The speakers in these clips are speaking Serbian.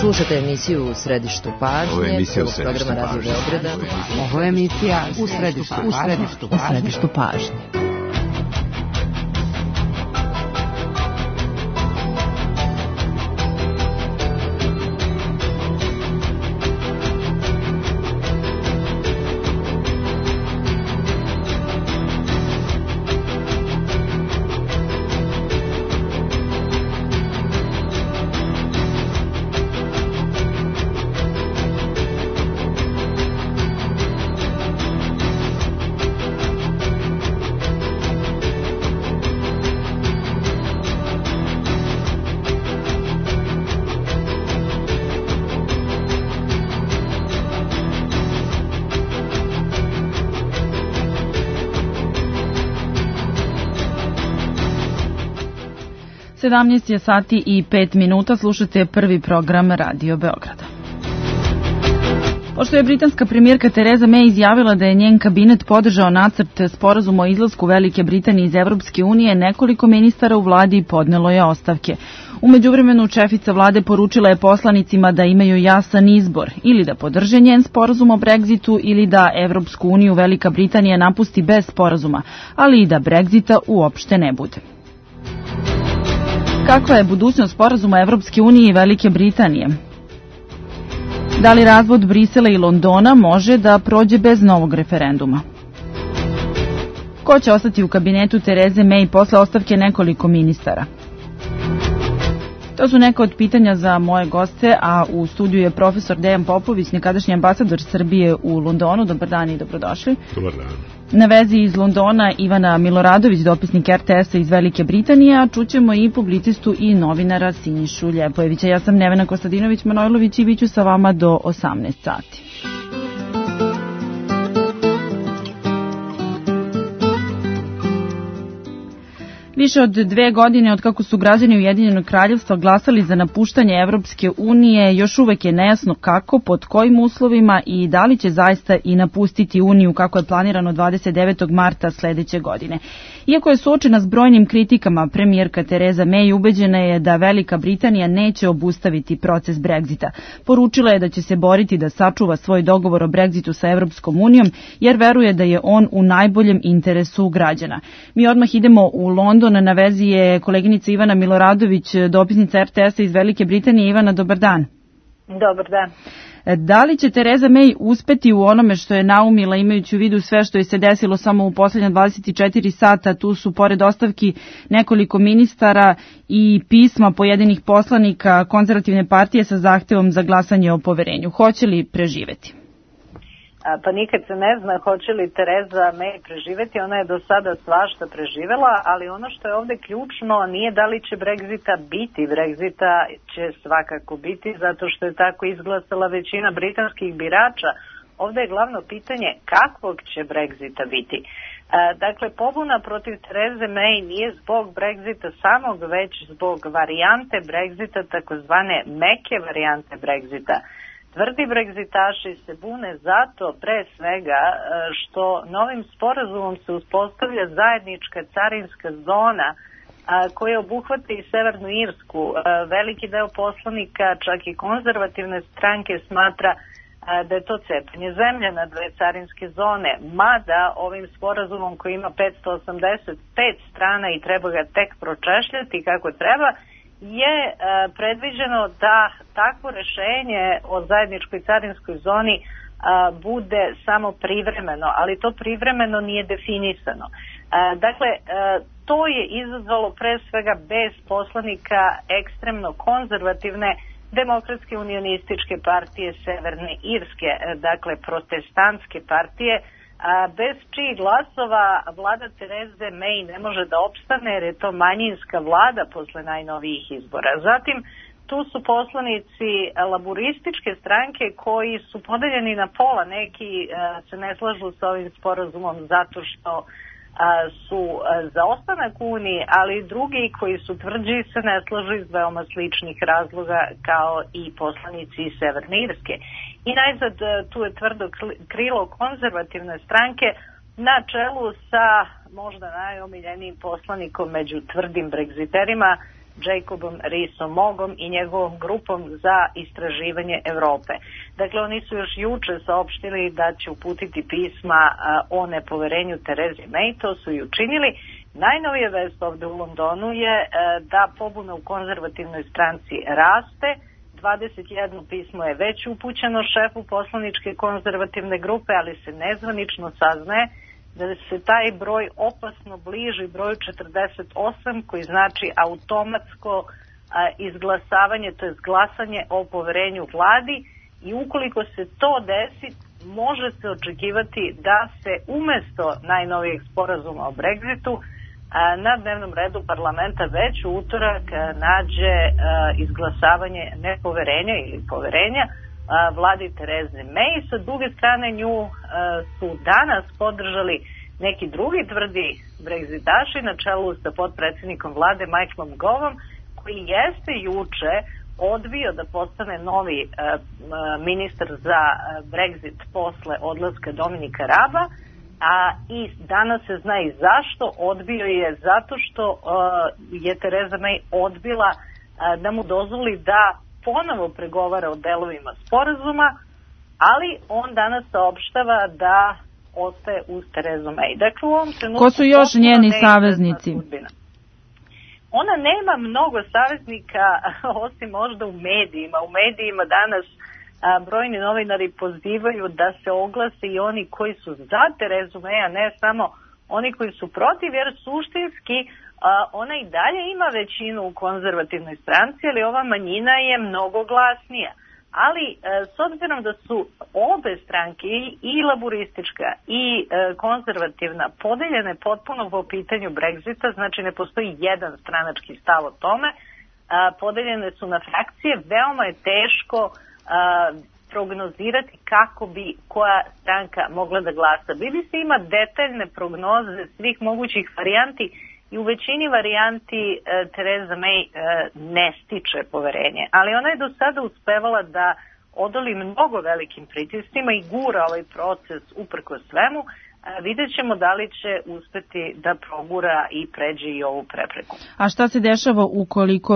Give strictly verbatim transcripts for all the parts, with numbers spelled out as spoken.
Slušate emisiju U središtu pažnje. Ovo je emisija U središtu pažnje. Ovo je emisija U središtu pažnje. U središtu pažnje. sedamnaest je sati i pet minuta, slušate prvi program Radio Beograda. Pošto je britanska premijerka Tereza May izjavila da je njen kabinet podržao nacrt sporazuma o izlasku Velike Britanije iz Evropske unije, nekoliko ministara u vladi podnelo je ostavke. U međuvremenu šefica vlade poručila je poslanicima da imaju jasan izbor, ili da podrže njen sporazum o Brexitu ili da Evropsku uniju Velika Britanija napusti bez sporazuma, ali i da Brexita uopšte ne bude. Kakva je budućnost sporazuma Evropske unije i Velike Britanije? Da li razvod Brisela i Londona može da prođe bez novog referenduma? Ko će ostati u kabinetu Tereze May posle ostavke nekoliko ministara? To su neka od pitanja za moje goste, a u studiju je profesor Dejan Popović, nekadašnji ambasador Srbije u Londonu. Dobar dan i dobrodošli. Dobar dan. Na vezi iz Londona Ivana Miloradović, dopisnik R T S-a iz Velike Britanije, a čućemo i publicistu i novinara Sinišu Ljepojevića. Ja sam Nevena Kostadinović-Manojlović i bit ću sa vama do osamnaest sati. Više od dve godine od kako su građani Ujedinjenog kraljevstva glasali za napuštanje Evropske unije, još uvek je nejasno kako, pod kojim uslovima i da li će zaista i napustiti Uniju kako je planirano dvadeset devetog marta sledeće godine. Iako je suočena s brojnim kritikama, premijerka Tereza May ubeđena je da Velika Britanija neće obustaviti proces Brexita. Poručila je da će se boriti da sačuva svoj dogovor o Brexitu sa Evropskom unijom, jer veruje da je on u najboljem interesu građana. Mi odmah idemo u London. Na vezi je koleginica Ivana Miloradović, dopisnica R T S-a iz Velike Britanije. Ivana, dobar dan. Dobar dan. Da li će Tereza May uspeti u onome što je naumila, imajući u vidu sve što je se desilo samo u poslednja dvadeset četiri sata? Tu su, pored ostavki nekoliko ministara, i pisma pojedinih poslanika Konzervativne partije sa zahtevom za glasanje o poverenju. Hoće li preživeti? Pa nikad se ne zna hoće li Tereza May preživeti, ona je do sada svašta preživela, ali ono što je ovde ključno nije da li će Brexita biti. Brexita će svakako biti, zato što je tako izglasala većina britanskih birača. Ovde je glavno pitanje kakvog će Brexita biti. Dakle, pobuna protiv Tereze May nije zbog Brexita samog, već zbog varijante Brexita, takozvane meke varijante Brexita. Tvrdi Brexitaši se bune zato pre svega što novim sporazumom se uspostavlja zajednička carinska zona koja obuhvata i Severnu Irsku. Veliki deo poslanika, čak i konzervativne stranke, smatra da je to cepanje zemlje na dve carinske zone, mada ovim sporazumom koji ima petsto osamdeset pet strana i treba ga tek pročešljati kako treba, je e, predviđeno da takvo rešenje o zajedničkoj carinskoj zoni e, bude samo privremeno, ali to privremeno nije definisano. E, dakle, e, to je izazvalo pre svega bez poslanika ekstremno konzervativne Demokratske unionističke partije Severne Irske, e, dakle protestantske partije, a bez čijih glasova vlada Tereze May ne može da opstane, jer je to manjinska vlada posle najnovijih izbora. Zatim, tu su poslanici laburističke stranke koji su podeljeni na pola. Neki a, se ne slažu sa ovim sporazumom zato što a, su a, za ostanak u Uniji, ali drugi koji su tvrđi se ne slažu iz veoma sličnih razloga kao i poslanici iz Severne Irske. I najzad tu je tvrdo krilo konzervativne stranke na čelu sa možda najomiljenijim poslanikom među tvrdim bregziterima, Jacobom Rees-Moggom i njegovom grupom za istraživanje Evrope. Dakle, oni su još juče saopštili da će uputiti pisma o nepoverenju Terezi May, to su i učinili. Najnovija vest ovde u Londonu je da pobuna u konzervativnoj stranci raste. dvadeset jedno pismo je već upućeno šefu poslaničke konzervativne grupe, ali se nezvanično saznaje da se taj broj opasno bliži broju četrdeset osam, koji znači automatsko a, izglasavanje, to je glasanje o poverenju vladi, i ukoliko se to desi, može se očekivati da se umesto najnovijeg sporazuma o Brexitu a, na dnevnom redu parlamenta već u utorak a, nađe a, izglasavanje nepoverenja ili poverenja a, vladi Tereze May. Sa druge strane, nju a, su danas podržali neki drugi tvrdi Brexitaši na čelu sa potpredsjednikom vlade Michaelom Govom, koji jeste juče odbio da postane novi uh, ministar za Brexit posle odlaska Dominika Raba, a i danas se zna i zašto. Odbio je zato što uh, je Tereza May odbila uh, da mu dozvoli da ponovo pregovara o delovima sporazuma, ali on danas saopštava da ostaje uz Terezu May. Dakle, u ovom trenutku... Ko su još njeni saveznici? Ona nema mnogo saveznika, osim možda u medijima. U medijima danas a, brojni novinari pozivaju da se oglase i oni koji su za Terezu May, a ne samo oni koji su protiv, jer suštinski a, ona i dalje ima većinu u konzervativnoj stranci, ali ova manjina je mnogo glasnija. Ali e, s obzirom da su obe stranke, i laburistička i e, konzervativna, podeljene potpuno po pitanju Brexita, znači ne postoji jedan stranački stav o tome, a, podeljene su na frakcije, veoma je teško a, prognozirati kako bi koja stranka mogla da glasa. B B C ima detaljne prognoze svih mogućih varijanti i u većini varijanti e, Tereza May e, ne stiče poverenje. Ali ona je do sada uspevala da odoli mnogo velikim pritiscima i gura ovaj proces uprkos svemu. E, vidjet ćemo da li će uspeti da progura i pređe i ovu prepreku. A šta se dešava ukoliko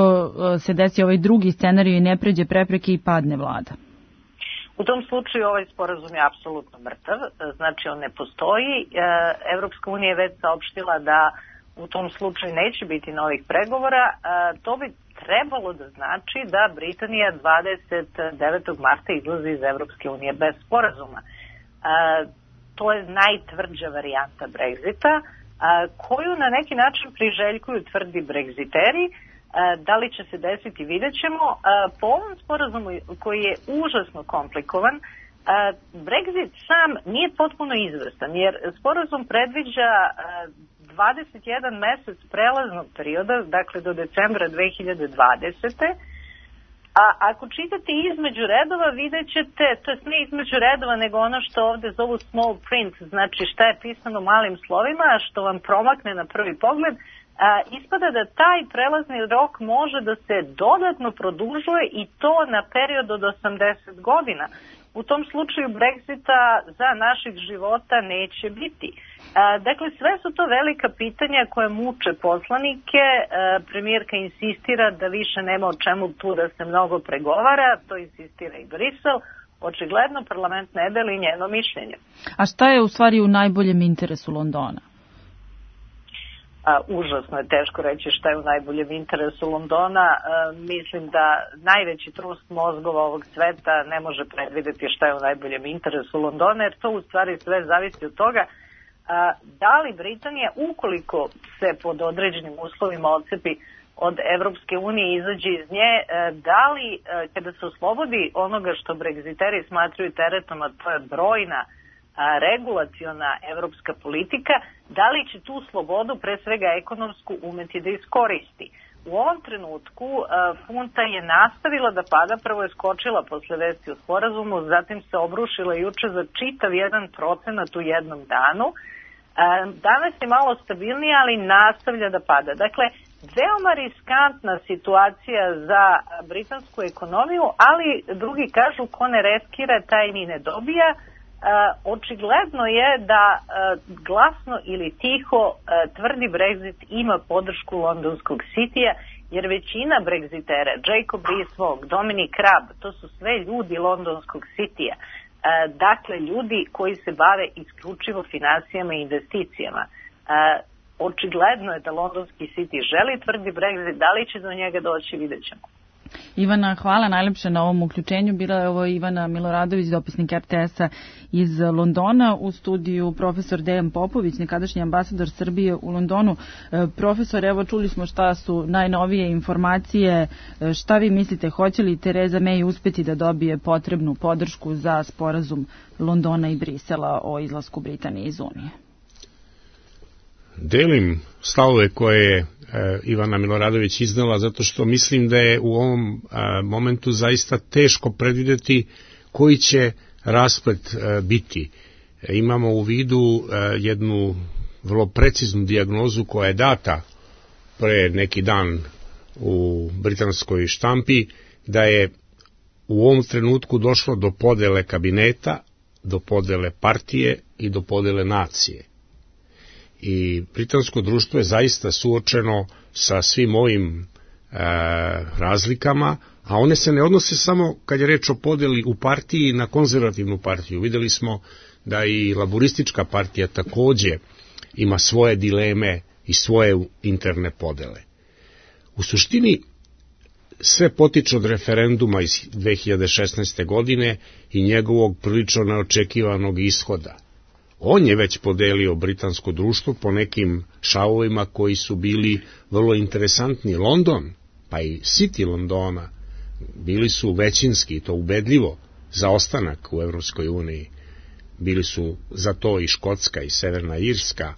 se desi ovaj drugi scenarij i ne pređe prepreke i padne vlada? U tom slučaju ovaj sporazum je apsolutno mrtav, znači on ne postoji. E, Evropska unija je već saopštila da u tom slučaju neće biti novih pregovora. E, to bi trebalo da znači da Britanija dvadeset devetog marta izlazi iz Evropske unije bez sporazuma. E, to je najtvrđa varijanta Brexita, e, koju na neki način priželjkuju tvrdi Brexiteri. E, da li će se desiti, vidjet ćemo. E, po ovom sporazumu koji je užasno komplikovan, e, Brexit sam nije potpuno izvrstan, jer sporazum predviđa e, dvadeset jedan mesec prelaznog perioda, dakle do decembra dve hiljade dvadesete. A ako čitate između redova, vidjet ćete, to je ne između redova, nego ono što ovde zovu small print, znači šta je pisano malim slovima, a što vam promakne na prvi pogled, a, ispada da taj prelazni rok može da se dodatno produžuje i to na period od osamdeset godina. U tom slučaju Brexita za naših života neće biti. A, dakle, sve su to velika pitanja koje muče poslanike. A, premijerka insistira da više nema o čemu tu da se mnogo pregovara, to insistira i Brisel. Očigledno parlament ne deli njeno mišljenje. A šta je u stvari u najboljem interesu Londona? A, užasno je teško reći šta je u najboljem interesu Londona. A, mislim da najveći trust mozgova ovog sveta ne može predvideti šta je u najboljem interesu Londona, jer to u stvari sve zavisi od toga a, da li Britanija, ukoliko se pod određenim uslovima odcepi od Evropske unije i izađe iz nje, a, da li a, kada se oslobodi onoga što Brexiteri smatruju teretom, a to je brojna a, regulaciona evropska politika, da li će tu slobodu, pre svega ekonomsku, umeti da iskoristi. U ovom trenutku a, funta je nastavila da pada, prvo je skočila posle vesti o sporazumu, zatim se obrušila juče za čitav jedan procenat u jednom danu. A, danas je malo stabilnija, ali nastavlja da pada. Dakle, veoma riskantna situacija za britansku ekonomiju, ali drugi kažu ko ne reskira, taj ni ne dobija. očigledno je da glasno ili tiho tvrdi Brexit ima podršku londonskog Citya, jer većina Brexitera, Jacob Rees-Mogg, Dominic Raab, to su sve ljudi londonskog Citya. Dakle, ljudi koji se bave isključivo finansijama i investicijama. Očigledno je da londonski City želi tvrdi Brexit, da li će do njega doći, vidjet ćemo. Ivana, hvala najlepše na ovom uključenju. Bila je ovo Ivana Miloradović, dopisnik R T S-a iz Londona, u studiju profesor Dejan Popović, nekadašnji ambasador Srbije u Londonu. Profesor, evo čuli smo šta su najnovije informacije. Šta vi mislite, hoće li Tereza May uspeti da dobije potrebnu podršku za sporazum Londona i Brisela o izlasku Britanije iz Unije? Delim stavove koje je Ivana Miloradović iznala, zato što mislim da je u ovom momentu zaista teško predvideti koji će rasplet biti. Imamo u vidu jednu vrlo preciznu dijagnozu koja je data pre neki dan u britanskoj štampi, da je u ovom trenutku došlo do podele kabineta, do podele partije i do podele nacije. I britansko društvo je zaista suočeno sa svim ovim e, razlikama, a one se ne odnose samo kad je reč o podeli u partiji na konzervativnu partiju. Videli smo da i laboristička partija takođe ima svoje dileme i svoje interne podele. U suštini sve potiče od referenduma iz dve hiljade šesnaeste. godine i njegovog prilično neočekivanog ishoda. On je već podelio britansko društvo po nekim šavovima koji su bili vrlo interesantni. London, pa i City Londona, bili su većinski, to ubedljivo, za ostanak u Evropskoj uniji. Bili su za to i Škotska i Severna Irska.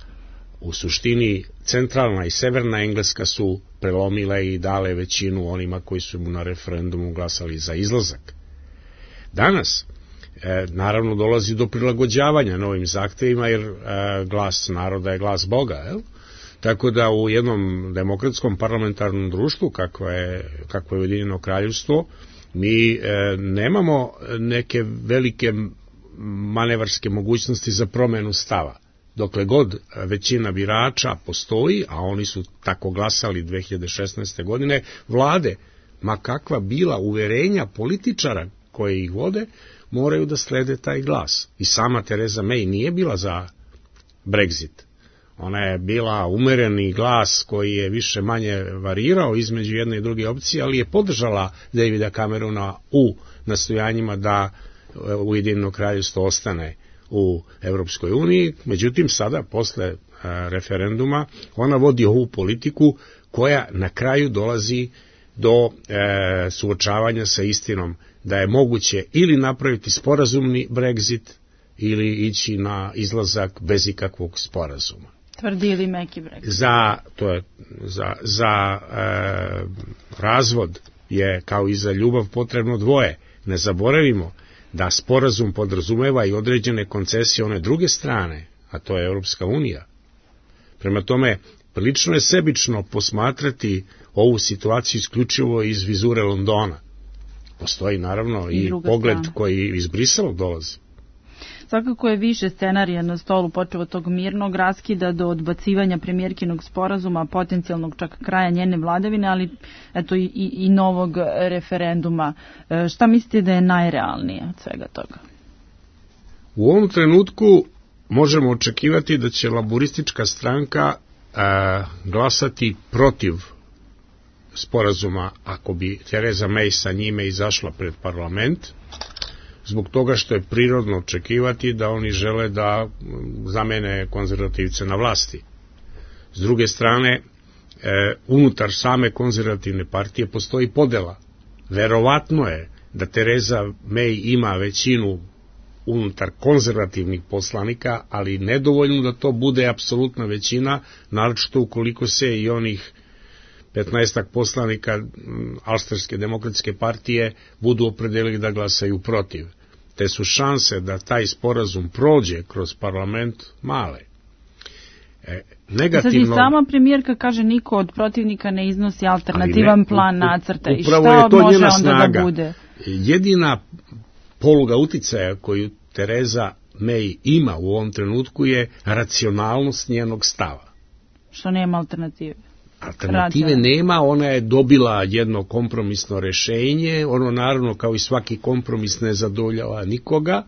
U suštini, centralna i severna Engleska su prelomile i dale većinu onima koji su mu na referendumu glasali za izlazak. Danas, E, naravno, dolazi do prilagođavanja novim zahtevima, jer e, glas naroda je glas Boga, jel? Tako da u jednom demokratskom parlamentarnom društvu, kakvo je, kakvo je Ujedinjeno kraljevstvo, mi e, nemamo neke velike manevarske mogućnosti za promenu stava. Dokle god većina birača postoji, a oni su tako glasali dve hiljade šesnaeste. godine, vlade, ma kakva bila uverenja političara koje ih vode, moraju da slede taj glas. I sama Tereza May nije bila za Brexit. Ona je bila umereni glas koji je više manje varirao između jedne i druge opcije, ali je podržala Davida Camerona u nastojanjima da Ujedinjeno kraljevstvo ostane u Evropskoj uniji. Međutim, sada, posle referenduma, ona vodi ovu politiku koja na kraju dolazi do e, suočavanja sa istinom da je moguće ili napraviti sporazumni Brexit ili ići na izlazak bez ikakvog sporazuma. Tvrdi ili meki Brexit? Za, to je, za, za e, razvod je kao i za ljubav potrebno dvoje. Ne zaboravimo da sporazum podrazumeva i određene koncesije one druge strane, a to je Europska unija. Prema tome, prilično je sebično posmatrati ovu situaciju isključivo iz vizure Londona. Postoji naravno i, i pogled strana koji iz Brisela dolazi. Svakako je više scenarija na stolu, počeo od tog mirnog raskida do odbacivanja premijerkinog sporazuma, potencijalnog čak kraja njene vladavine, ali eto i, i, i novog referenduma. E, šta mislite da je najrealnije od svega toga? U ovom trenutku možemo očekivati da će laboristička stranka a, glasati protiv sporazuma ako bi Tereza May sa njime izašla pred parlament, zbog toga što je prirodno očekivati da oni žele da zamene konzervativce na vlasti. S druge strane, e, unutar same konzervativne partije postoji podela. Verovatno je da Tereza May ima većinu unutar konzervativnih poslanika, ali nedovoljno da to bude apsolutna većina, naročito ukoliko se i onih petnaestak poslanika Australske demokratske partije budu opredelili da glasaju protiv. Te su šanse da taj sporazum prođe kroz parlament male. E, negativno... Sad i sama premijerka kaže niko od protivnika ne iznosi alternativan ne, plan nacrta. I šta je to može njena onda snaga. Da bude? Jedina poluga uticaja koju Tereza May ima u ovom trenutku je racionalnost njenog stava. Što nema alternative. Alternative Rađa. nema, ona je dobila jedno kompromisno rešenje, ono naravno kao i svaki kompromis ne zadovoljava nikoga,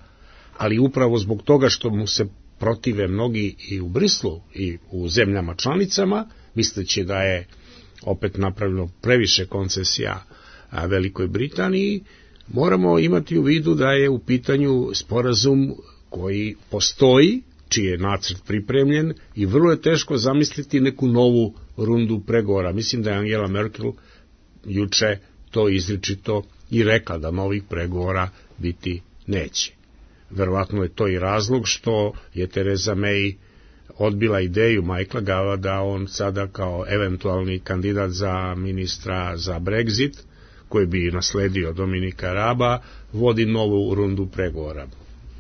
ali upravo zbog toga što mu se protive mnogi i u Brislu i u zemljama članicama, misleći da je opet napravljeno previše koncesija Velikoj Britaniji, moramo imati u vidu da je u pitanju sporazum koji postoji, čiji je nacrt pripremljen i vrlo je teško zamisliti neku novu rundu pregovora. Mislim da je Angela Merkel juče to izričito i rekla da novih pregovora biti neće. Verovatno je to i razlog što je Theresa May odbila ideju Michaela Gova da on sada kao eventualni kandidat za ministra za Brexit, koji bi nasledio Dominika Raba, vodi novu rundu pregovora.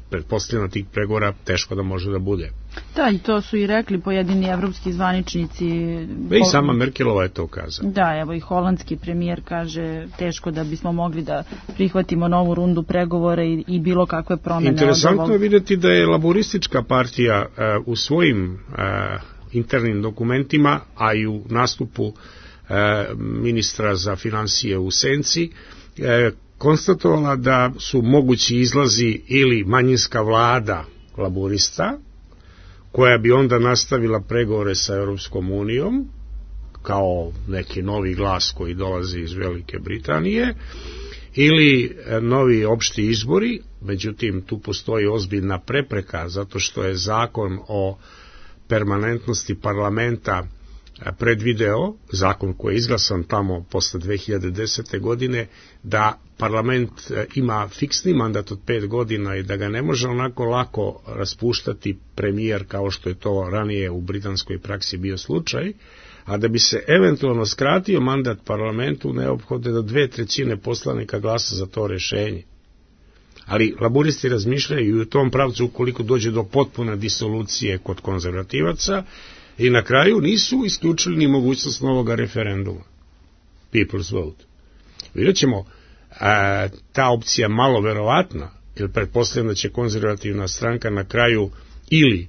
Pretpostavljeno tih pregovora teško da može da bude. Da, i to su i rekli pojedini evropski zvaničnici. I sama Merkelova je to kazala. Da, evo i holandski premijer kaže teško da bismo mogli da prihvatimo novu rundu pregovora i, i bilo kakve promene. Interesantno je vidjeti da je laboristička partija uh, u svojim uh, internim dokumentima, a i u nastupu uh, ministra za finansije u Senci, uh, konstatovala da su mogući izlazi ili manjinska vlada laborista, koja bi onda nastavila pregovore sa Europskom unijom, kao neki novi glas koji dolazi iz Velike Britanije, ili novi opšti izbori, međutim tu postoji ozbiljna prepreka, zato što je zakon o permanentnosti parlamenta predvideo, zakon koji je izglasan tamo posle dve hiljade desete. godine, da parlament ima fiksni mandat od pet godina i da ga ne može onako lako raspuštati premijer kao što je to ranije u britanskoj praksi bio slučaj, a da bi se eventualno skratio mandat parlamentu neophodno da dve trećine poslanika glasa za to rešenje. Ali laburisti razmišljaju i u tom pravcu ukoliko dođe do potpune disolucije kod konzervativaca, i na kraju nisu isključili ni mogućnost novog referenduma. People's vote. Vidjet ćemo, a, ta opcija malo verovatna, jer pretpostavljam da će konzervativna stranka na kraju ili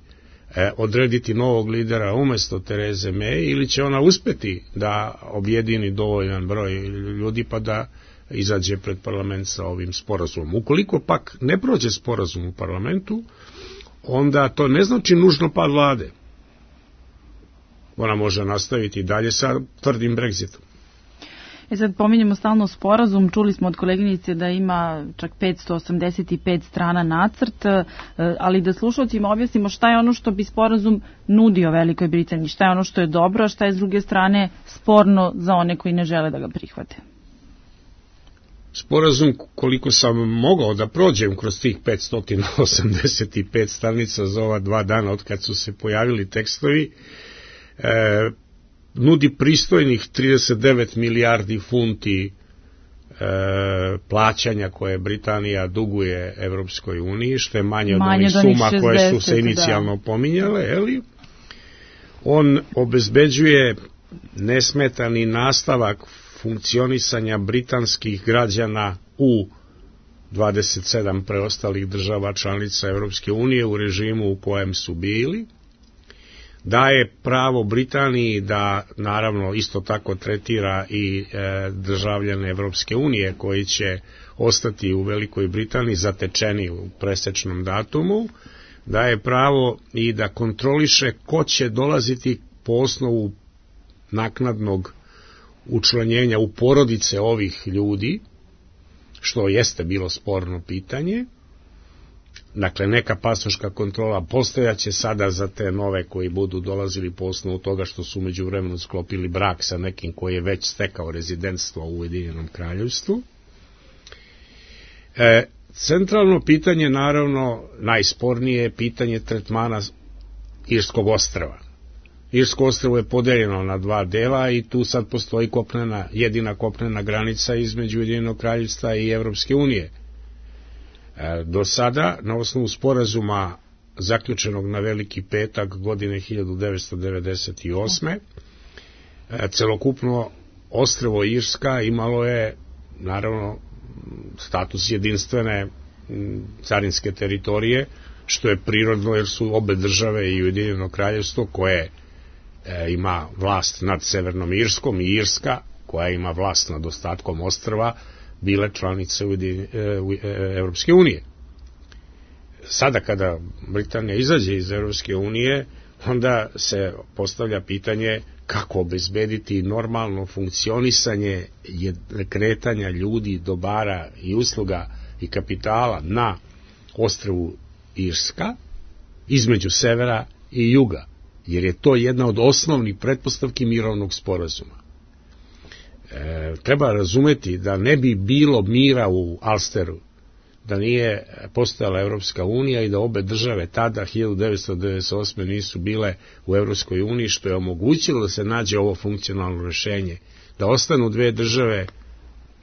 e, odrediti novog lidera umjesto Therese May, ili će ona uspeti da objedini dovoljan broj ljudi pa da izađe pred parlament sa ovim sporazumom. Ukoliko pak ne prođe sporazum u parlamentu, onda to ne znači nužno pad vlade. Ona može nastaviti dalje sa tvrdim Brexitom. E sad pominjemo stalno sporazum, čuli smo od koleginice da ima čak petsto osamdeset pet strana nacrt, ali da slušalcima objasnimo šta je ono što bi sporazum nudio Velikoj Britaniji, šta je ono što je dobro, a šta je s druge strane sporno za one koji ne žele da ga prihvate. Sporazum, koliko sam mogao da prođem kroz tih petsto osamdeset pet stranica za ova dva dana od kad su se pojavili tekstovi, E, nudi pristojnih trideset devet milijardi funti e, plaćanja koje Britanija duguje Evropskoj uniji, što je manje od manje ovih suma šezdeset, koje su se inicijalno da. pominjale, eli? On obezbeđuje nesmetani nastavak funkcionisanja britanskih građana u dvadeset sedam preostalih država članica Evropske unije u režimu u kojem su bili, daje pravo Britaniji da naravno isto tako tretira i e, državljane Evropske unije koji će ostati u Velikoj Britaniji zatečeni u presečnom datumu, daje pravo i da kontroliše ko će dolaziti po osnovu naknadnog učlanjenja u porodice ovih ljudi, što jeste bilo sporno pitanje. Dakle, neka pasoška kontrola postojaće sada za te nove koji budu dolazili po osnovu toga što su međuvremenu sklopili brak sa nekim koji je već stekao rezidentstvo u Ujedinjenom Kraljevstvu. E, centralno pitanje, naravno, najspornije je pitanje tretmana Irskog ostrva. Irsko ostrvo je podeljeno na dva dela i tu sad postoji kopnena, jedina kopnena granica između Ujedinjenog Kraljevstva i Evropske unije. Do sada, na osnovu sporazuma zaključenog na Veliki petak godine hiljadu devetsto devedeset osme. celokupno ostrvo Irska imalo je, naravno, status jedinstvene carinske teritorije, što je prirodno jer su obe države i Ujedinjeno kraljevstvo koje e, ima vlast nad Severnom Irskom i Irska koja ima vlast nad ostatkom ostrva bile članice Ujedinje, e, e, Evropske unije. Sada kada Britanija izađe iz Evropske unije, onda se postavlja pitanje kako obezbediti normalno funkcionisanje kretanja ljudi, dobara i usluga i kapitala na ostrvu Irska između severa i juga, jer je to jedna od osnovnih pretpostavki mirovnog sporazuma. E, treba razumeti da ne bi bilo mira u Alsteru da nije postojala Evropska unija i da obe države tada hiljadu devetsto devedeset osme nisu bile u Evropskoj uniji, što je omogućilo da se nađe ovo funkcionalno rešenje, da ostanu dve države,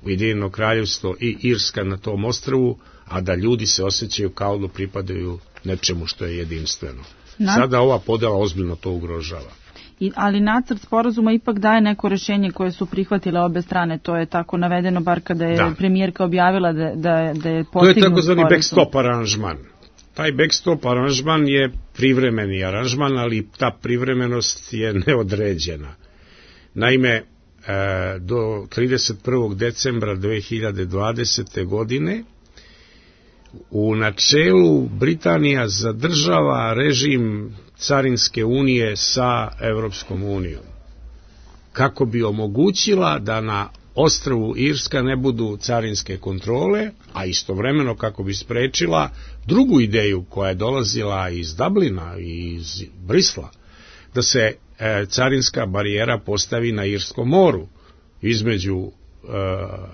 Ujedinjeno kraljevstvo i Irska na tom ostrvu, a da ljudi se osjećaju kao da pripadaju nečemu što je jedinstveno. Na... Sada ova podela ozbiljno to ugrožava. I, ali nacrt sporazuma ipak daje neko rešenje koje su prihvatile obe strane, to je tako navedeno, bar kada je da. premijerka objavila da, da, da je postignut sporazum. To je takozvani backstop aranžman. Taj backstop aranžman je privremeni aranžman, ali ta privremenost je neodređena. Naime, do trideset prvog decembra dve hiljade dvadesete. godine u načelu Britanija zadržava režim carinske unije sa Evropskom unijom, kako bi omogućila da na ostrvu Irska ne budu carinske kontrole, a istovremeno kako bi sprečila drugu ideju koja je dolazila iz Dublina i iz Brisla, da se e, carinska barijera postavi na Irskom moru između e,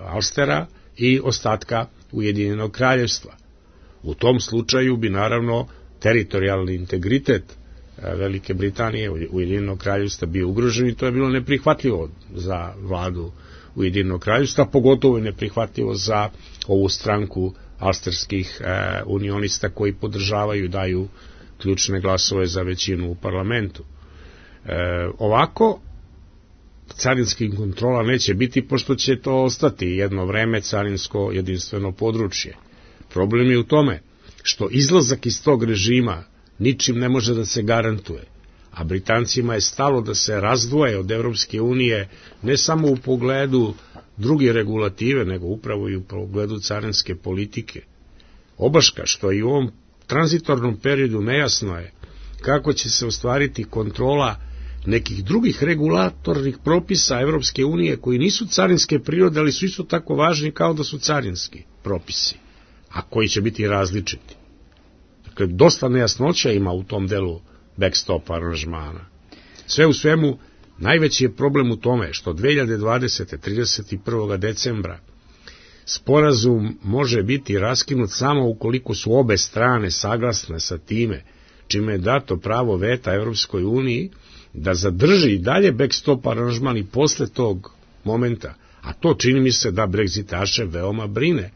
Alstera i ostatka Ujedinjenog kraljevstva. U tom slučaju bi naravno teritorijalni integritet Velike Britanije, Ujedinjenog kraljevstva bio ugrožen i to je bilo neprihvatljivo za vladu Ujedinjenog kraljevstva, pogotovo je neprihvatljivo za ovu stranku alsterskih e, unionista koji podržavaju i daju ključne glasove za većinu u parlamentu. E, ovako, carinskih kontrola neće biti, pošto će to ostati jedno vreme carinsko jedinstveno područje. Problem je u tome što izlazak iz tog režima ničim ne može da se garantuje, a Britancima je stalo da se razdvoje od Evropske unije ne samo u pogledu druge regulative, nego upravo i u pogledu carinske politike. Obaška, što i u ovom tranzitornom periodu nejasno je kako će se ostvariti kontrola nekih drugih regulatornih propisa Evropske unije koji nisu carinske prirode, ali su isto tako važni kao da su carinski propisi, a koji će biti različiti. Dakle, dosta nejasnoća ima u tom delu backstop aranžmana. Sve u svemu, najveći je problem u tome što dve hiljade dvadesete. trideset prvog decembra sporazum može biti raskinut samo ukoliko su obe strane saglasne sa time, čime je dato pravo veta Evropskoj uniji da zadrži i dalje backstop aranžman i posle tog momenta, a to čini mi se da Brexitaše veoma brine.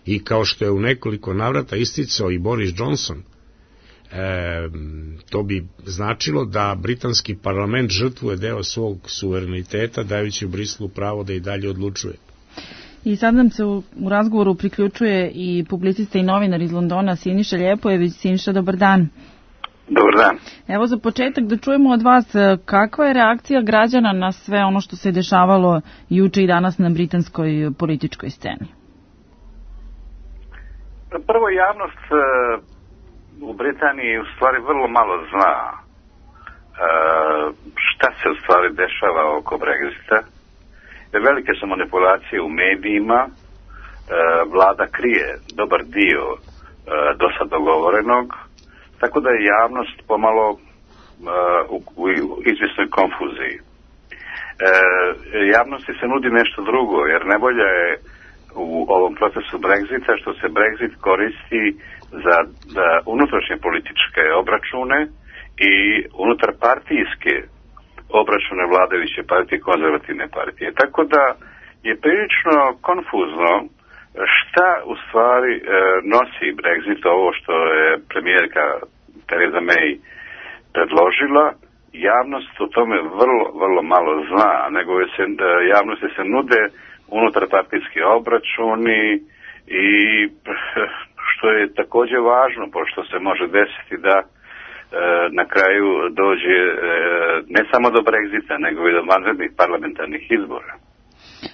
I kao što je u nekoliko navrata isticao i Boris Johnson, e, to bi značilo da britanski parlament žrtvuje deo svog suvereniteta, dajući u Brislu pravo da i dalje odlučuje. I sad nam se u, u razgovoru priključuje i publicista i novinar iz Londona Siniša Ljepojević. Siniša, dobar dan. Dobar dan. Evo za početak da čujemo od vas kakva je reakcija građana na sve ono što se dešavalo juče i danas na britanskoj političkoj sceni. Prvo, javnost e, u Britaniji u stvari vrlo malo zna e, šta se u stvari dešava oko Brexita. Velike su manipulacije u medijima, e, vlada krije dobar dio e, do sad dogovorenog, tako da je javnost pomalo e, u, u izvjesnoj konfuziji. E, javnosti se nudi nešto drugo, jer najbolje je u ovom procesu Brexita što se Brexit koristi za da unutrašnje političke obračune i unutar partijske obračune vladajuće partije i konzervativne partije. Tako da je prilično konfuzno šta u stvari e, nosi Brexit, ovo što je premijerka Theresa May predložila. Javnost o tome vrlo, vrlo malo zna, nego se, javnosti se nude unutar partijski obračuni i što je također važno, pošto se može desiti da e, na kraju dođe e, ne samo do Brexita, nego i do vanrednih parlamentarnih izbora.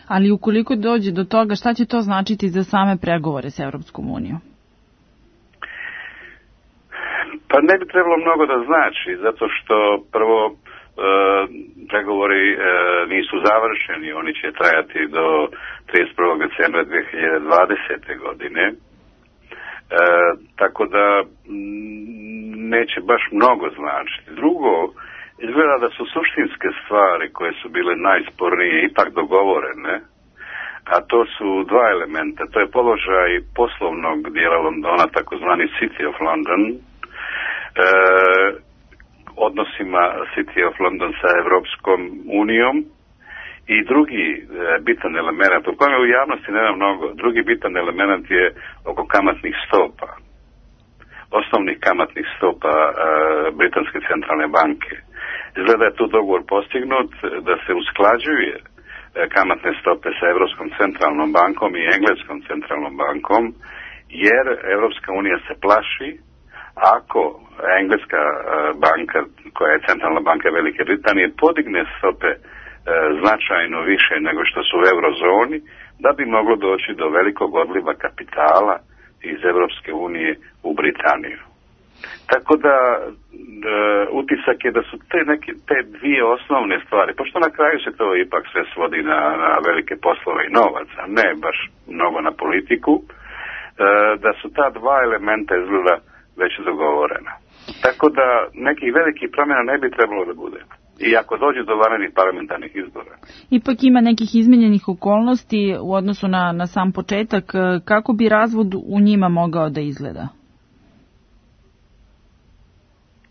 Ali ukoliko dođe do toga, šta će to značiti za same pregovore s Evropskom unijom? Pa ne bi trebalo mnogo da znači, zato što prvo e, pregovori e, nisu završeni, oni će trajati do trideset prvog decembra dve hiljade dvadesete. godine. E, tako da m, neće baš mnogo značiti. Drugo, izgleda da su suštinske stvari koje su bile najspornije ipak dogovorene, a to su dva elementa. To je položaj poslovnog dijela Londona, takozvani City of London, e, odnosima City of London sa Evropskom unijom, i drugi e, bitan element, o kojem u javnosti nema mnogo, drugi bitan element je oko kamatnih stopa, osnovnih kamatnih stopa e, Britanske centralne banke. Izgleda je tu dogovor postignut da se usklađuje e, kamatne stope sa Evropskom centralnom bankom i Engleskom centralnom bankom, jer Evropska unija se plaši ako Engleska e, banka, koja je centralna banka Velike Britanije, podigne stope značajno više nego što su u eurozoni, da bi moglo doći do velikog odliva kapitala iz Evropske unije u Britaniju. Tako da e, utisak je da su te, neke, te dvije osnovne stvari, pošto na kraju se to ipak sve svodi na, na velike poslove i novac, a ne baš mnogo na politiku, e, da su ta dva elementa izgleda već dogovorena. Tako da nekih velikih promjena ne bi trebalo da bude. I ako dođe do vanrednih parlamentarnih izbora. Ipak ima nekih izmenjenih okolnosti u odnosu na, na sam početak. Kako bi razvod u njima mogao da izgleda?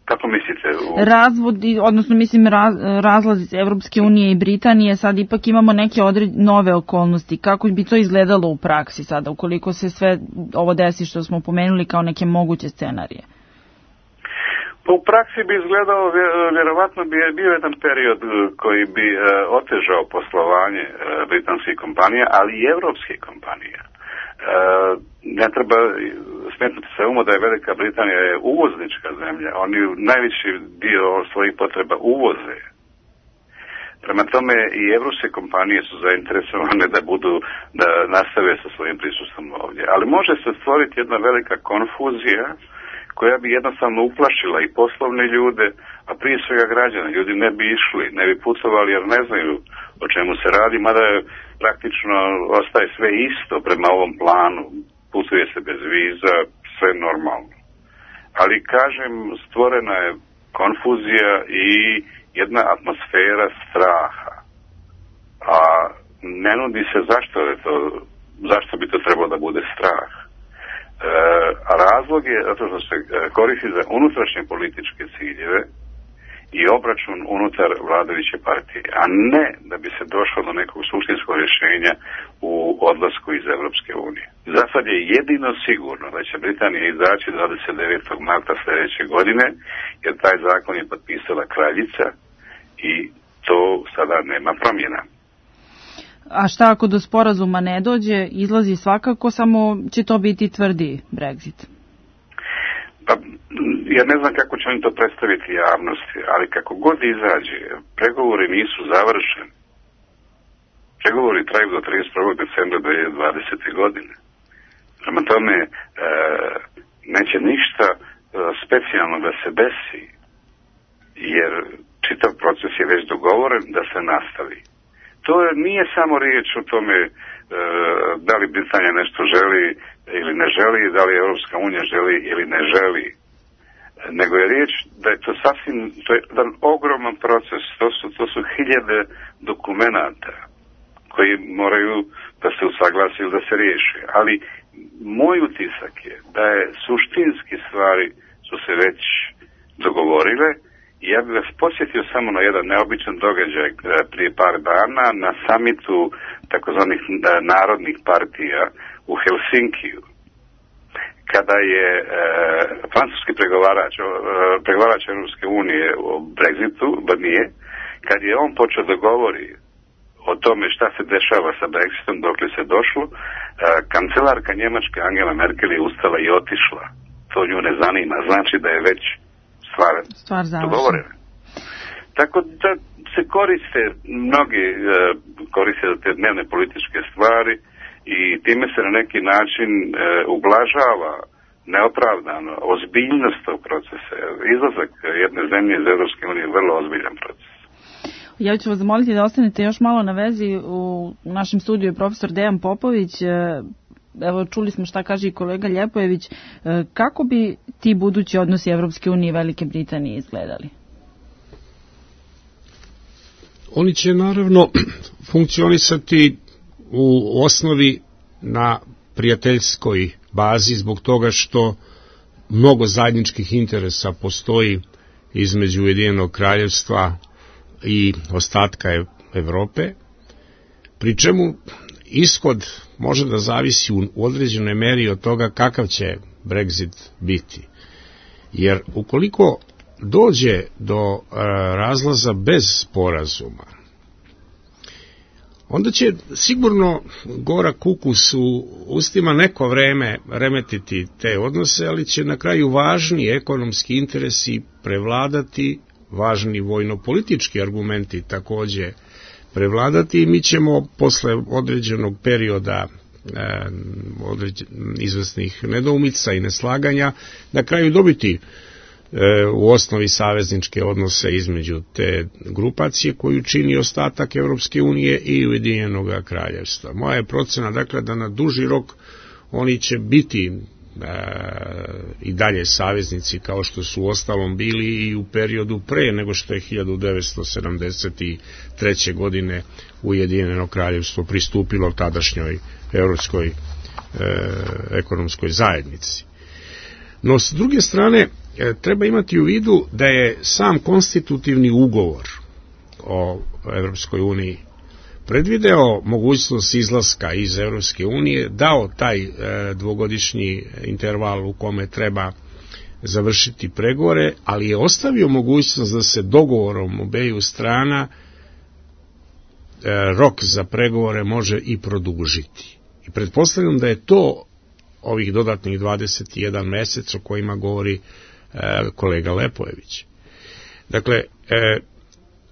Kako mislite? U... Razvod, odnosno mislim raz, razlaz iz Evropske unije i Britanije, sad ipak imamo neke odred, nove okolnosti. Kako bi to izgledalo u praksi sada, ukoliko se sve ovo desi što smo pomenuli kao neke moguće scenarije? Pa u praksi bi izgledao, vjerovatno bi bio jedan period koji bi e, otežao poslovanje e, britanskih kompanija, ali i evropskih kompanija. E, ne treba smetnuti se umu da je Velika Britanija je uvoznička zemlja. Oni najveći dio svojih potreba uvoze. Prema tome i evropske kompanije su zainteresovane da budu, da nastave sa svojim prisustvom ovdje. Ali može se stvoriti jedna velika konfuzija koja bi jednostavno uplašila i poslovne ljude, a prije svega građana. Ljudi ne bi išli, ne bi putovali jer ne znaju o čemu se radi, mada je praktično ostaje sve isto prema ovom planu. Putuje se bez viza, sve normalno. Ali kažem, stvorena je konfuzija i jedna atmosfera straha. A ne nudi se zašto je to, zašto bi to trebalo da bude strah. E, a razlog je zato što se koristi za unutrašnje političke ciljeve i obračun unutar vladajuće partije, a ne da bi se došlo do nekog suštinskog rješenja u odlasku iz Evropske unije. Za sad je jedino sigurno da će Britanija izaći dvadeset devetog marta sljedeće godine, jer taj zakon je potpisala kraljica i to sada nema promjena. A šta ako do sporazuma ne dođe, izlazi svakako, samo će to biti tvrdi Brexit? Pa, ja ne znam kako će oni to predstaviti javnosti, ali kako god izađe, pregovori nisu završeni. Pregovori traju do trideset prvog decembra dve hiljade dvadesete. godine. Prema tome, e, neće ništa e, specijalno da se desi, jer čitav proces je već dogovoren da se nastavi. To nije samo riječ o tome e, da li Britanija nešto želi ili ne želi, da li Europska unija želi ili ne želi, nego je riječ da je to sasvim, to je jedan ogroman proces, to su, to su hiljade dokumenata koji moraju da se usaglasi ili da se riješe. Ali moj utisak je da je suštinski stvari su se već dogovorile. Ja bih vas posjetio samo na jedan neobičan događaj prije par dana na samitu takozvanih narodnih partija u Helsinkiju, kada je e, francuski pregovarač, e, pregovarač Europske unije o Brexitu, Barnier, kad je on počeo da govori o tome šta se dešava sa Brexitom, dokle se došlo, kancelarka Njemačke Angela Merkel je ustala i otišla. To nju ne zanima, znači da je već stvar, stvar dogovorena. Tako da se koriste, mnogi koriste te dnevne političke stvari i time se na neki način ublažava neopravdano ozbiljnost tog procesa. Izlazak jedne zemlje iz Evropske unije je vrlo ozbiljan proces. Ja ću vas zamoliti da ostanete još malo na vezi. U našem studiju je profesor Dejan Popović. Evo, čuli smo šta kaže i kolega Ljepojević. Kako bi ti budući odnosi Evropske unije i Velike Britanije izgledali? Oni će naravno funkcionisati u osnovi na prijateljskoj bazi zbog toga što mnogo zajedničkih interesa postoji između Ujedinjenog kraljevstva i ostatka Evrope, pri čemu ishod može da zavisi u određenoj meri od toga kakav će Brexit biti. Jer ukoliko dođe do razlaza bez sporazuma, onda će sigurno gorak kukus u ustima neko vreme remetiti te odnose, ali će na kraju važni ekonomski interesi prevladati, važni vojno-politički argumenti takođe prevladati i mi ćemo posle određenog perioda e, određen, izvesnih nedoumica i neslaganja na kraju dobiti e, u osnovi savezničke odnose između te grupacije koju čini ostatak Evropske unije i Ujedinjenog kraljevstva. Moja je procena dakle da na duži rok oni će biti i dalje saveznici kao što su ostalom bili i u periodu pre nego što je hiljadu devetsto sedamdeset treće. godine Ujedinjeno kraljevstvo pristupilo tadašnjoj Evropskoj e, ekonomskoj zajednici. No, s druge strane, e, treba imati u vidu da je sam konstitutivni ugovor o Evropskoj uniji predvideo mogućnost izlaska iz Evropske unije, dao taj e, dvogodišnji interval u kome treba završiti pregovore, ali je ostavio mogućnost da se dogovorom obeju strana e, rok za pregovore može i produžiti. I pretpostavljam da je to ovih dodatnih dvadeset jedan mesec o kojima govori e, kolega Lepojević. Dakle, e,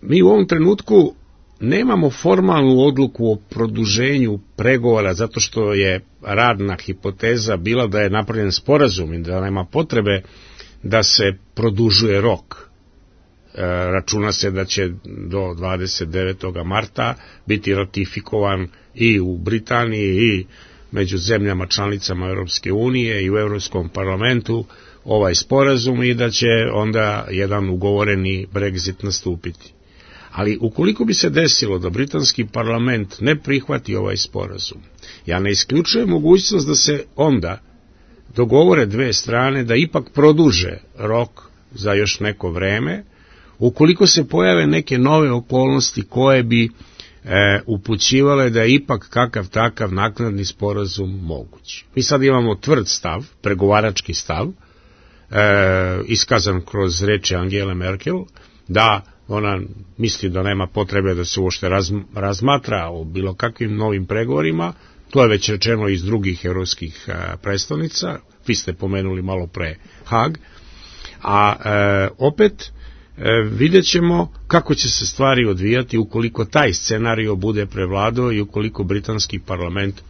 mi u ovom trenutku nemamo formalnu odluku o produženju pregovora zato što je radna hipoteza bila da je napravljen sporazum i da nema potrebe da se produžuje rok. E, računa se da će do dvadeset devetog marta biti ratifikovan i u Britaniji i među zemljama članicama Europske unije i u Europskom parlamentu ovaj sporazum i da će onda jedan ugovoreni Brexit nastupiti. Ali ukoliko bi se desilo da britanski parlament ne prihvati ovaj sporazum, ja ne isključujem mogućnost da se onda dogovore dve strane da ipak produže rok za još neko vreme, ukoliko se pojave neke nove okolnosti koje bi e, upućivale da je ipak kakav takav naknadni sporazum moguć. Mi sad imamo tvrd stav, pregovarački stav, e, iskazan kroz reči Angele Merkel, da ona misli da nema potrebe da se uopšte razmatra o bilo kakvim novim pregovorima, to je već rečeno iz drugih evropskih predstavnica, vi ste pomenuli malo pre Hag, a e, opet e, vidjet ćemo kako će se stvari odvijati ukoliko taj scenario bude prevladao i ukoliko britanski parlament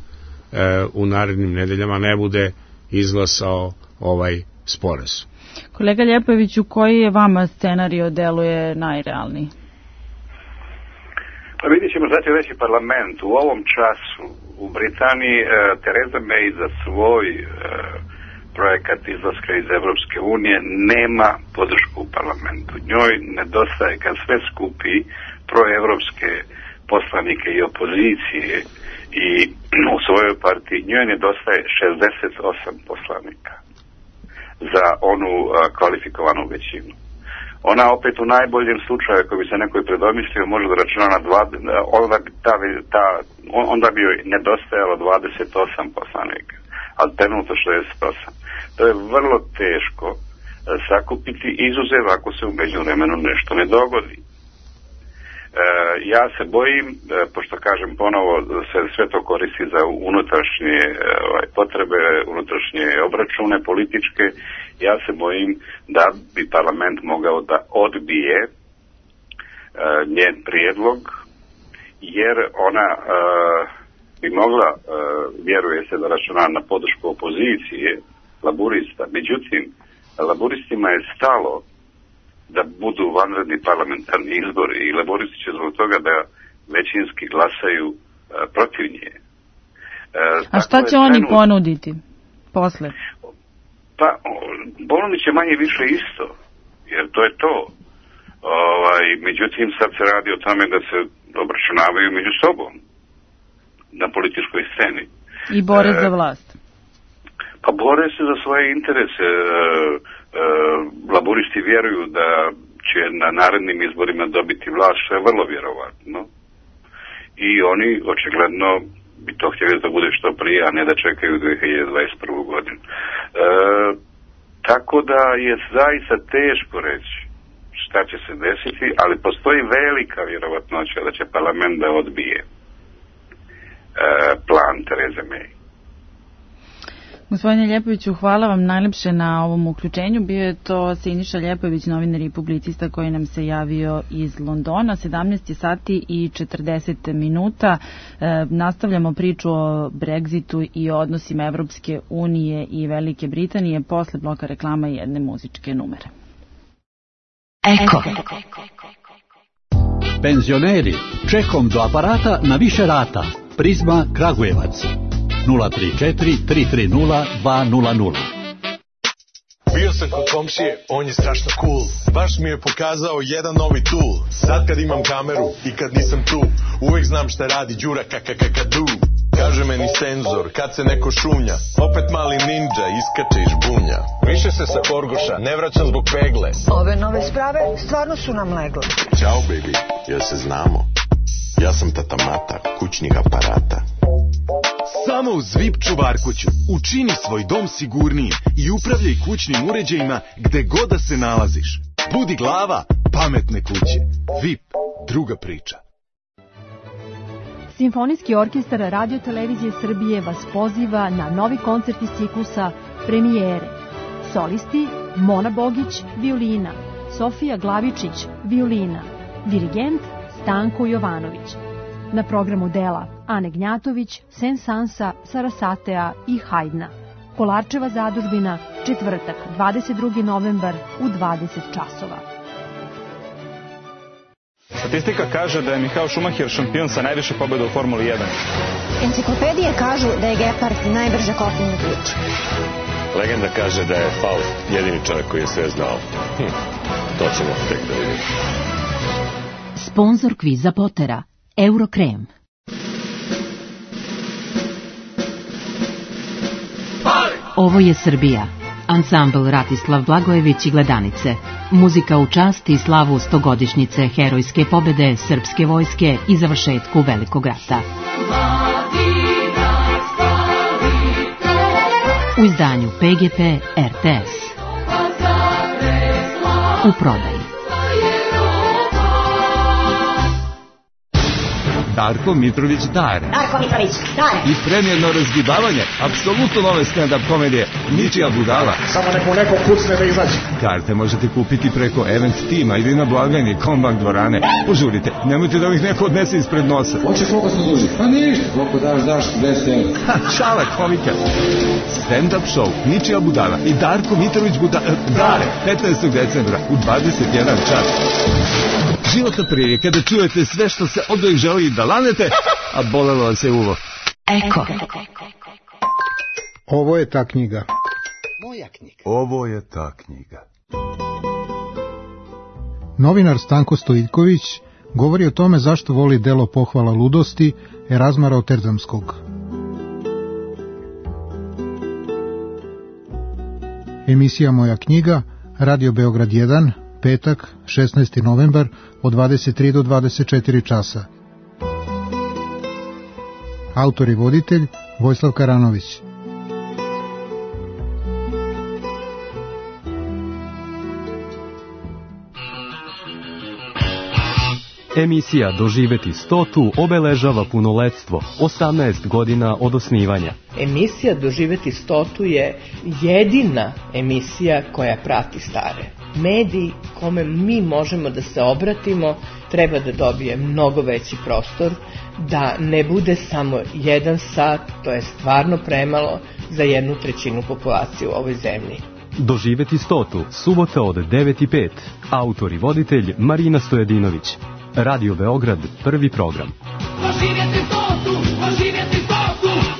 e, u narednim nedeljama ne bude izglasao ovaj sporazum. Kolega Ljepojeviću, koji je vama scenario deluje najrealniji? Pa vidjet ćemo, znači reći parlament. U ovom času u Britaniji e, Theresa May za svoj e, projekat izlaska iz Evropske unije nema podršku u parlamentu. Njoj nedostaje, kad sve skupi proevropske poslanike i opozicije i u svojoj partiji, njoj nedostaje šezdeset osam poslanika za onu a, kvalifikovanu većinu. Ona opet u najboljem slučaju, ako bi se nekoj predomislio, može da računa na dva, onda, ta, ta, onda bi joj nedostajalo dvadeset osam poslanika, ali trenutno šezdeset osam. To je vrlo teško sakupiti, izuzev ako se u međuvremenu nešto ne dogodi. E, ja se bojim, pošto kažem ponovo, se sve to koristi za unutrašnje ovaj, potrebe, unutrašnje obračune političke, ja se bojim da bi parlament mogao da odbije uh, njen prijedlog, jer ona uh, bi mogla, uh, vjeruje se da računa na podršku opozicije, laburista. Međutim, laburistima je stalo da budu vanredni parlamentarni izbori i laboristi će zbog toga da većinski glasaju uh, protiv nje. Uh, A šta će trenut... oni ponuditi posle? Pa, ponudit će manje više isto, jer to je to. Ovaj, međutim, sad se radi o tome da se obračunavaju među sobom na političkoj sceni. I bore uh, za vlast. Pa bore se za svoje interese. Uh, uh, laburisti vjeruju da će na narednim izborima dobiti vlast, što je vrlo vjerovatno. I oni očigledno bi to htjeli da bude što prije, a ne da čekaju dvije hiljade dvadeset prvu godinu. E, tako da je zaista teško reći šta će se desiti, ali postoji velika vjerovatnoća da će parlament da odbije e, plan Tereze May. Gospodine Ljepoviću, hvala vam najlepše na ovom uključenju. Bio je to Siniša Ljepović, novinar i publicista koji nam se javio iz Londona. sedamnaest sati i četrdeset minuta. E, nastavljamo priču o Brexitu i o odnosima Evropske unije i Velike Britanije posle bloka reklama i jedne muzičke numere. Eko. Penzioneri, čekom do aparata na više rata. Prizma Kragujevac. nula tri četiri tri tri nula dva nula nula. Bio sam kod komšije, on je strašno cool. Baš mi je pokazao jedan novi tool. Sad kad imam kameru i kad nisam tu, uvek znam šta radi Đura kakakakadu. Kaže meni senzor, kad se neko šunja, opet mali ninja iskače iz žbunja. Više se sa Horgoša, ne vraćam zbog pegle. Ove nove sprave stvarno su nam legle. Ćao baby, jel se znamo? Ja sam tata Mata, kućnih aparata. Samo u Zvip čuvarkuću učini svoj dom sigurnijim i upravljaj kućnim uređajima gde god da se nalaziš. Budi glava pametne kuće. Vip, druga priča. Simfonijski orkestar Radio Televizije Srbije vas poziva na novi koncert iz ciklusa Premijere. Solisti Mona Bogić, violina, Sofija Glavičić, violina, dirigent Stanko Jovanović. Na programu dela Ane Gnjatović, Sensansa, Sarasatea i Hajdna. Kolarčeva zadužbina, četvrtak, dvadeset drugi novembar u dvadeset časova. Statistika kaže da je Michael Schumacher šampion sa najviše pobjeda u Formuli jedan. Enciklopedije kažu da je Gepard najbrže kopneni ključ. Legenda kaže da je Faust jedini čovjek koji je sve znao. Hm, to ćemo tek da vidimo. Sponzor kviza Potera, Eurokrem. Ovo je Srbija. Ansambl Ratislav Blagojević i Gledanice. Muzika u čast i slavu stogodišnjice herojske pobede srpske vojske i završetku Velikog rata. U izdanju P G P R T S. U prodaji. Darko Mitrović Dare. Darko Mitrović Dare. I premijerno razgibavanje, apsolutno nove stand-up komedije, ničija budala. Samo neko neko kucne da izađe. Karte možete kupiti preko Event Tima ili na blagajni Kombank dvorane. Požurite, nemojte da ih neko odnese ispred nosa. Hoće koliko se duži? Pa ništa, koliko daš, daš, deset evra. Šala komika. Stand-up show, ničija budala i Darko Mitrović Buda... Dare, petnaestog decembra u dvadeset jedan čas. Životna prilika da čujete sve što se od uvijek želi da lanete, a bolelo vas je uvo. Eko. Ovo je ta knjiga. Moja knjiga. Ovo je ta knjiga. Novinar Stanko Stojiljković govori o tome zašto voli delo Pohvala ludosti Erazma Rotterdamskog. Emisija Moja knjiga, Radio Beograd jedan, petak, šesnaesti novembar, od dvadeset tri do dvadeset četiri časa. Autor i voditelj Vojislav Karanović. Emisija Doživeti stotu obeležava punoletstvo, osamnaest godina od osnivanja. Emisija Doživeti stotu je jedina emisija koja prati stare. Medij kome mi možemo da se obratimo treba da dobije mnogo veći prostor, da ne bude samo jedan sat, to je stvarno premalo za jednu trećinu populacije u ovoj zemlji. Doživeti stotu, subota od devet i pet. Autor i voditelj Marina Stojadinović. Radio Beograd, prvi program. Doživjeti stotu, doživjeti stotu.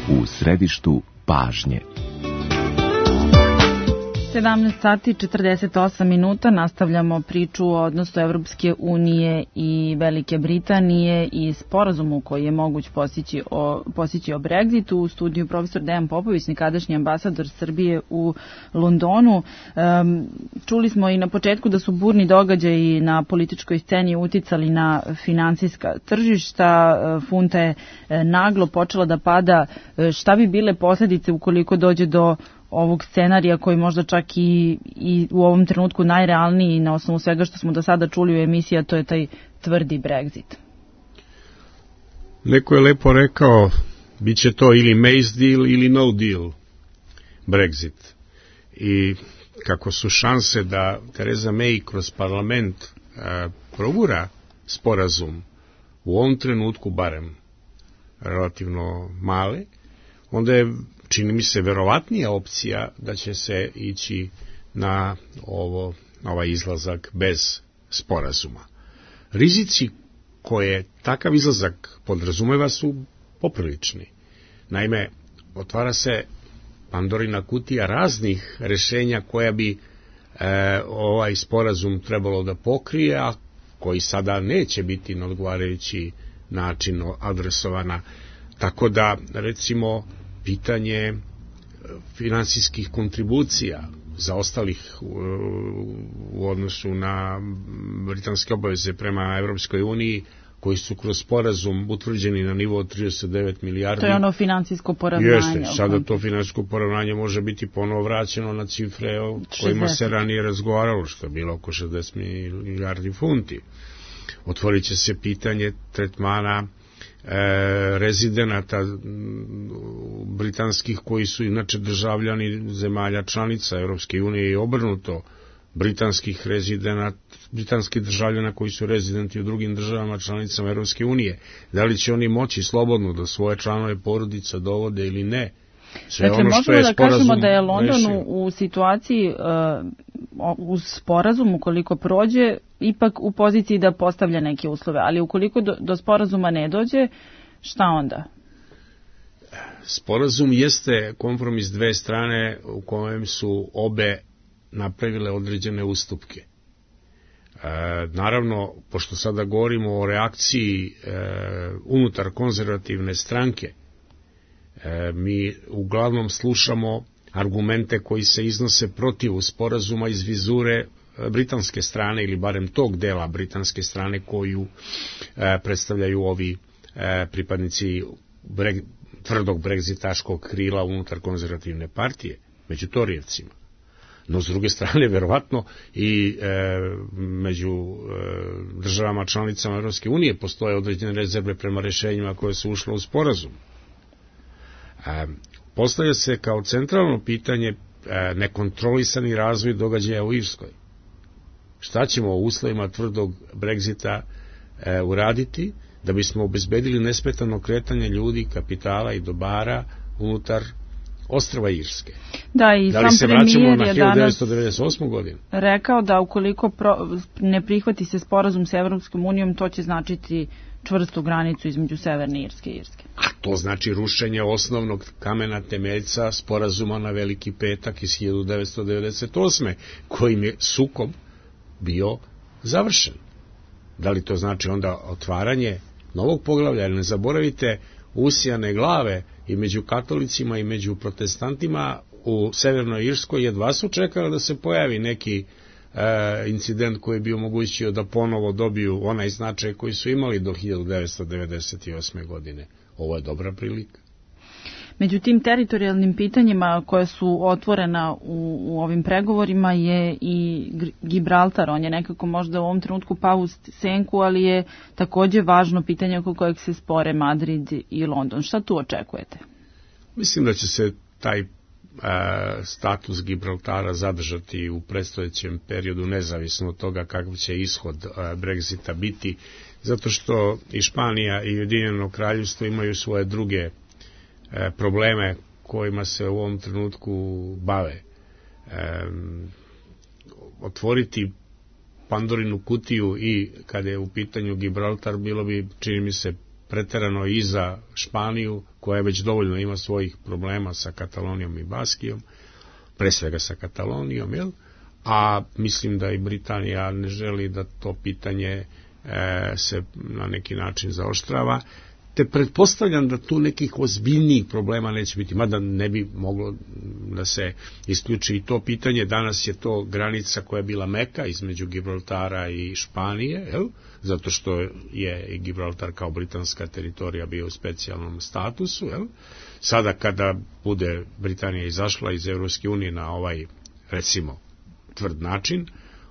U središtu pažnje. sedamnaest sati četrdeset osam minuta, nastavljamo priču o odnosu Evropske unije i Velike Britanije i sporazumu koji je moguć postići o, postići o Brexitu. U studiju profesor Dejan Popović, nekadašnji ambasador Srbije u Londonu. Um, čuli smo i na početku da su burni događaji na političkoj sceni uticali na finansijska tržišta. Funta je naglo počela da pada. Šta bi bile posljedice ukoliko dođe do ovog scenarija koji možda čak i, i u ovom trenutku najrealniji na osnovu svega što smo do sada čuli u emisiji, a to je taj tvrdi Brexit? Neko je lepo rekao, bit će to ili May's deal ili no deal Brexit. I kako su šanse da Theresa May kroz parlament a, progura sporazum u ovom trenutku barem relativno male, onda je, čini mi se, verovatnija opcija da će se ići na ovo, ovaj izlazak bez sporazuma. Rizici koje takav izlazak podrazumeva su poprilični. Naime, otvara se Pandorina kutija raznih rešenja koja bi e, ovaj sporazum trebalo da pokrije, a koji sada neće biti na odgovarajući način adresovana. Tako da, recimo, pitanje finansijskih kontribucija zaostalih u, u odnosu na britanske obaveze prema Evropskoj uniji, koji su kroz sporazum utvrđeni na nivou od trideset devet milijardi. To je ono finansijsko poravnanje. Jeste, sada to finansijsko poravnanje može biti ponovo vraćeno na cifre o kojima se ranije razgovaralo, što je bilo oko šezdeset milijardi funti. Otvorit će se pitanje tretmana E, rezidenata britanskih koji su inače državljani zemalja članica Evropske unije i obrnuto britanskih rezidenata, britanskih državljana koji su rezidenti u drugim državama članicama Evropske unije. Da li će oni moći slobodno da svoje članove porodica dovode ili ne? Sve dakle, ono što možemo je da kažemo da je London rešio u situaciji uh, uz sporazum, ukoliko prođe, ipak u poziciji da postavlja neke uslove, ali ukoliko do, do sporazuma ne dođe, šta onda? Sporazum jeste kompromis dve strane u kojem su obe napravile određene ustupke. E, naravno, pošto sada govorimo o reakciji e, unutar konzervativne stranke, e, mi uglavnom slušamo argumente koji se iznose protiv sporazuma iz vizure britanske strane, ili barem tog dela britanske strane koju e, predstavljaju ovi e, pripadnici breg, tvrdog bregzitaškog krila unutar konzervativne partije, među torijevcima. No, s druge strane, verovatno i e, među e, državama članicama Evropske unije postoje određene rezerve prema rešenjima koje su ušle u sporazum. E, postavlja se kao centralno pitanje e, nekontrolisani razvoj događaja u Irskoj. Šta ćemo u uslovima tvrdog Brexita e, uraditi da bismo obezbedili nesmetano kretanje ljudi, kapitala i dobara unutar ostrva Irske? Da, i da li sam se vraćamo na hiljadu devetsto devedeset osmu godinu? Rekao da ukoliko pro, ne prihvati se sporazum sa Evropskom unijom, to će značiti čvrstu granicu između Severne Irske i Irske. A to znači rušenje osnovnog kamena temeljca sporazuma na Veliki petak iz hiljadu devetsto devedeset osme kojim je sukob bio završen. Da li to znači onda otvaranje novog poglavlja? Jer ne zaboravite usijane glave i među katolicima i među protestantima u Severnoj Irskoj jedva su čekali da se pojavi neki e, incident koji bi omogućio da ponovo dobiju onaj značaj koji su imali do hiljadu devetsto devedeset osme godine. Ovo je dobra prilika. Među tim teritorijalnim pitanjima koje su otvorena u, u ovim pregovorima je i Gibraltar. On je nekako možda u ovom trenutku pao u senku, ali je takođe važno pitanje oko kojeg se spore Madrid i London. Šta tu očekujete? Mislim da će se taj e, status Gibraltara zadržati u predstojećem periodu, nezavisno od toga kakav će ishod e, Brexita biti, zato što i Španija i Ujedinjeno Kraljevstvo imaju svoje druge probleme kojima se u ovom trenutku bave. E, otvoriti Pandorinu kutiju i kada je u pitanju Gibraltar bilo bi, čini mi se, preterano i za Španiju, koja već dovoljno ima svojih problema sa Katalonijom i Baskijom, pre svega sa Katalonijom, jel? A mislim da i Britanija ne želi da to pitanje e, se na neki način zaoštrava, te pretpostavljam da tu nekih ozbiljnijih problema neće biti, mada ne bi moglo da se isključi i to pitanje. Danas je to granica koja je bila meka između Gibraltara i Španije, jel? Zato što je i Gibraltar kao britanska teritorija bio u specijalnom statusu. Jel? Sada kada bude Britanija izašla iz Evropske unije na ovaj, recimo, tvrd način,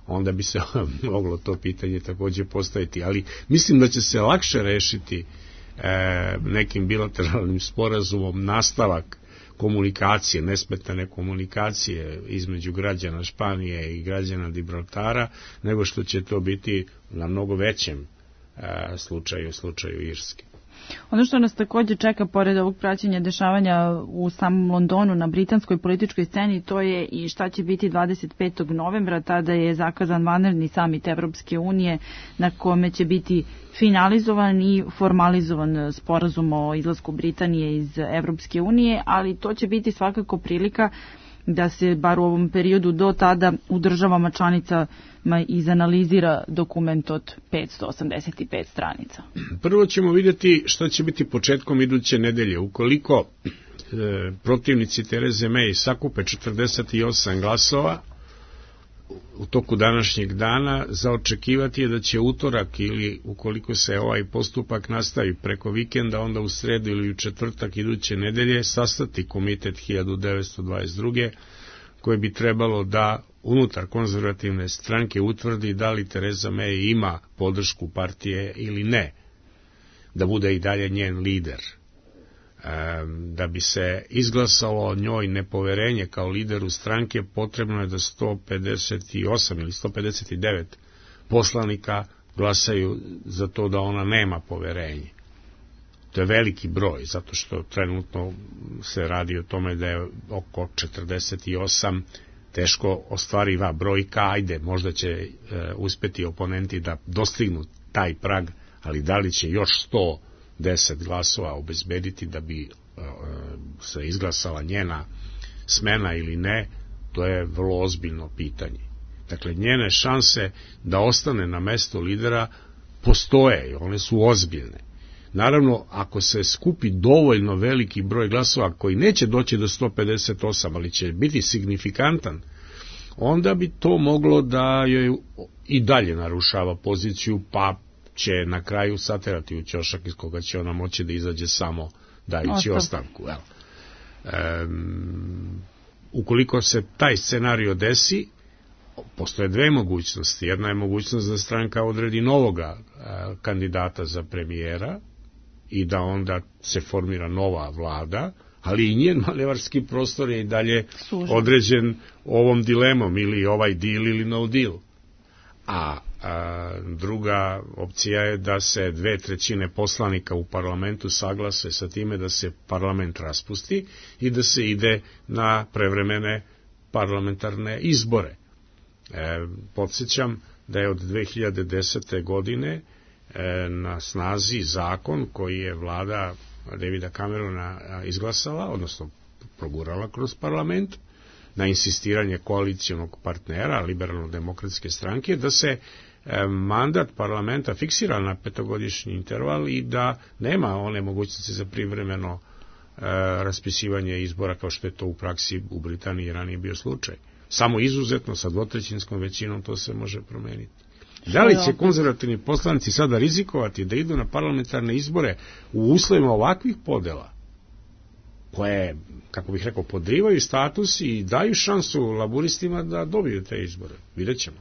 onda bi se moglo to pitanje takođe postaviti. Ali mislim da će se lakše rešiti e, nekim bilateralnim sporazumom nastavak komunikacije, nesmetane komunikacije između građana Španije i građana Gibraltara, nego što će to biti na mnogo većem e, slučaju, slučaju Irske. Ono što nas također čeka pored ovog praćenja dešavanja u samom Londonu na britanskoj političkoj sceni, to je i šta će biti dvadeset petog novembra, tada je zakazan vanredni samit Evropske unije na kome će biti finalizovan i formalizovan sporazum o izlasku Britanije iz Evropske unije, ali to će biti svakako prilika da se bar u ovom periodu do tada u državama članicama izanalizira dokument od petsto osamdeset pet stranica. Prvo ćemo vidjeti šta će biti početkom iduće nedelje. Ukoliko e, protivnici Tereze May sakupe četrdeset osam glasova u toku današnjeg dana, za očekivati je da će utorak ili ukoliko se ovaj postupak nastavi preko vikenda, onda u sredu ili u četvrtak iduće nedelje sastati komitet hiljadu devetsto dvadeset druge koje bi trebalo da unutar konzervativne stranke utvrdi da li Tereza May ima podršku partije ili ne, da bude i dalje njen lider. Da bi se izglasalo njoj nepoverenje kao lideru stranke, potrebno je da sto pedeset osam ili sto pedeset devet poslanika glasaju za to da ona nema poverenje. To je veliki broj, zato što trenutno se radi o tome da je oko četrdeset osam teško ostvariva brojka. Ajde, možda će e, uspeti oponenti da dostignu taj prag, ali da li će još sto deset glasova obezbediti da bi e, se izglasala njena smena ili ne, to je vrlo ozbiljno pitanje. Dakle, njene šanse da ostane na mesto lidera postoje, one su ozbiljne. Naravno, ako se skupi dovoljno veliki broj glasova koji neće doći do sto pedeset osam, ali će biti signifikantan, onda bi to moglo da joj i dalje narušava poziciju, pa će na kraju saterati u ćošak iz koga će ona moći da izađe samo dajući ostavku. Evo. Um, ukoliko se taj scenario desi, postoje dve mogućnosti. Jedna je mogućnost da stranka odredi novoga uh, kandidata za premijera i da onda se formira nova vlada, ali i njen manevarski prostor je i dalje Služen. određen ovom dilemom, ili ovaj deal ili no deal. A, a druga opcija je da se dve trećine poslanika u parlamentu saglase sa time da se parlament raspusti i da se ide na prevremene parlamentarne izbore. E, podsjećam da je od dve hiljade desete. godine e, na snazi zakon koji je vlada Davida Camerona izglasala, odnosno progurala kroz parlament, na insistiranje koalicijonog partnera, liberalno-demokratske stranke, da se e, mandat parlamenta fiksira na petogodišnji interval i da nema one mogućnosti za privremeno e, raspisivanje izbora kao što je to u praksi u Britaniji ranije bio slučaj. Samo izuzetno sa dvotrećinskom većinom to se može promeniti. Da li će konzervativni poslanici sada rizikovati da idu na parlamentarne izbore u uslovima ovakvih podela, koje, kako bih rekao, podrivaju status i daju šansu laburistima da dobiju te izbore? Vidjet ćemo.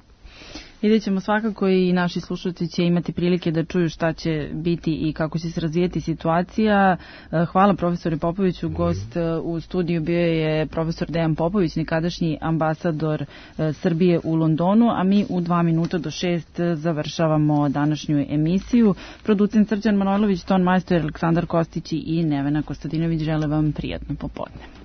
Vidjet ćemo, svakako i naši slušalci će imati prilike da čuju šta će biti i kako će se razvijeti situacija. Hvala profesore Popoviću, gost u studiju bio je profesor Dejan Popović, nekadašnji ambasador Srbije u Londonu, a mi u dva minuta do šest završavamo današnju emisiju. Producent Srđan Manojlović, ton majstor Aleksandar Kostić i Nevena Kostadinović žele vam prijatno popodne.